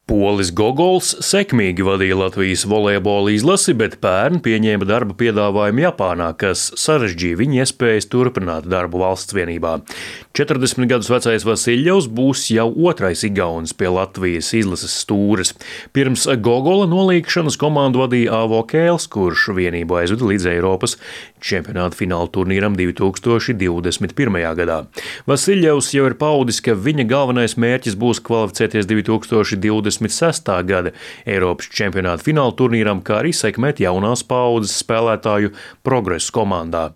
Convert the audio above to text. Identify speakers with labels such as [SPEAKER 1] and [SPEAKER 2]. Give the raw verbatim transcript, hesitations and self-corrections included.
[SPEAKER 1] Polis Gogols sekmīgi vadīja Latvijas volejbola izlasi, bet pērn pieņēma darba piedāvājumu Japānā, kas sarežģīja viņa iespējas turpināt darbu valsts vienībā. četrdesmit gadus vecais Vasiļjevs būs jau otrais igaunis pie Latvijas izlases stūres. Pirms Gogola nolīgšanas komandu vadīja Avo Kēls, kurš vienību aizveda līdz Eiropas čempionāta fināla turnīram divi tūkstoši divdesmit pirmajā gadā. Vasiļjevs jau ir paudis, ka viņa galvenais mērķis būs kvalificēties divi tūkstoši divdesmit sestā gada Eiropas čempionāta fināla turnīram, kā arī sekmēt jaunās paaudzes spēlētāju progresu komandā.